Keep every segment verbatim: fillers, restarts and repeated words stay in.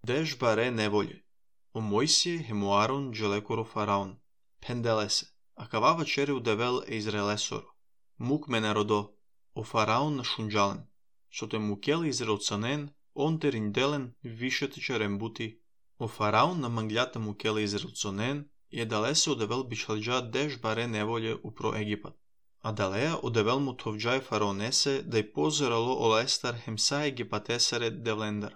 Деш баре неволје. О Мојсие хемуарон джелекоро фараон. Пенделесе. Акава вечери удевел е Израелесоро. Мук ме народо. О фараон на шунджален. Шото мукел израелцанен, он теринделен вишете черембути. О фараон на манглята мукел израелцанен, и едалесе удевел бичалджа деш баре неволје упро Египат. А далеја одевел му товџај фараонесе да й позерало олестар хемса египатесаре девлендар.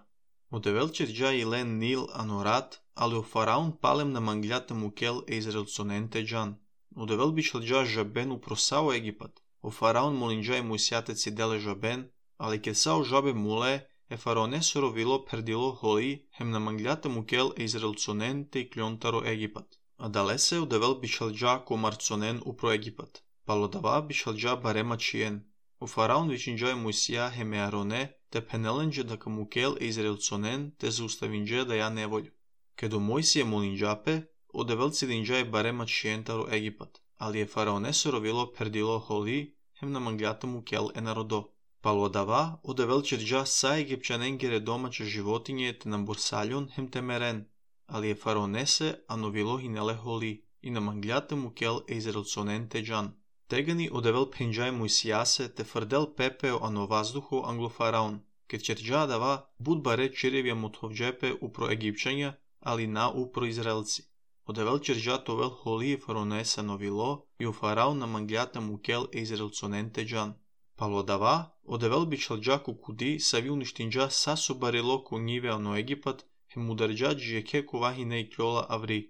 Одевел черджа илен Нил анорат, али о фараон палем на манглята мукел е израелцонен теджан. Одевел бичалджа жабен упро сао Египат. О фараон молинджа и муисјатеци деле жабен, али ке сао жабе муле е фараонесоро вило пердило холи хем на манглята мукел е израелцонен те и клјонтаро Египат. А далесе одевел бичалджа комарцонен упро Египат. Палодава бичалджа барема чиен. О фараон вичинджа и Мојсија хеме Ароне, те пенеленџе дака мукел е израелцонен, те зауставинџе да ја неволју. Кедо Мојсија молинџапе, одевел цидинџа и барема чиентаро Египат, али е фараонесоро вило пердило холи, хем на манглята мукел е народо. Палодава одевел черџа са египчанен гере домаче животиње те на бурсалјон хем темерен, али е фараонесе ановило хинеле холи, и на манглята мукел е израелцонен теджан. Тегани одевел пенџај Мојсијасе те фрдел пепео ано ваздухо англо фараон, ке черџа дава буд баре чиревија мотовџепе упро египчања, али на упро израелци. Одевел черџа товел холи и фараонесе новило, и о фараон на манглята мукел е израелцонен теджан. Палодава одевел бичалџа кукуди сави уништинџа са собарило конјиве ано Египат, хем ударџа джиеке ковахине и ќола аври.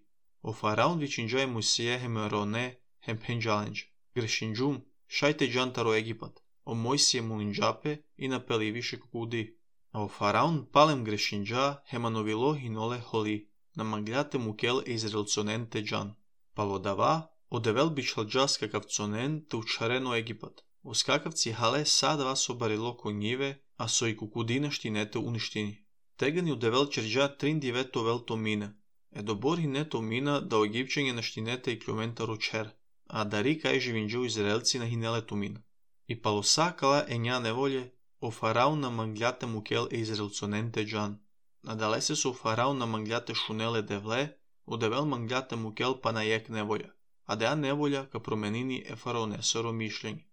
О фараон вичинџа и Мојсија хем Ароне хем пенџаленџ. Грешинџум, шајте джантаро Египат, о Мојсија молинџапе и напеливише кукуди. А о фараон палем грешинџа хема новило хиноле холи, на манглјате мукел е израелцонен теджан. Палодава одевел бичалџа скакавцонен те учарено Египат. О скакавци хале садава собарило конјиве, а со и кукудина штинете уништини. Тегани одевел черџа триндиве товел томина. Е добори не томина да о египчање на штинете и клјументаро чер, а дари кај живинџу израелци на хинелето мина. И палосакала е ња неволје, о фараон на манглјата мукел е израелцонен теджан. Надалесе со фараон на манглјата шунеле девле, одевел манглјата мукел па на јек неволја, а деа неволја ка променини е фараонесоро мишлење.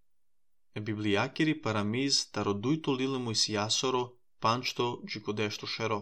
Е библијакери парамиз тародујто лиле Мојсијасоро, панчто джикодешто шеро.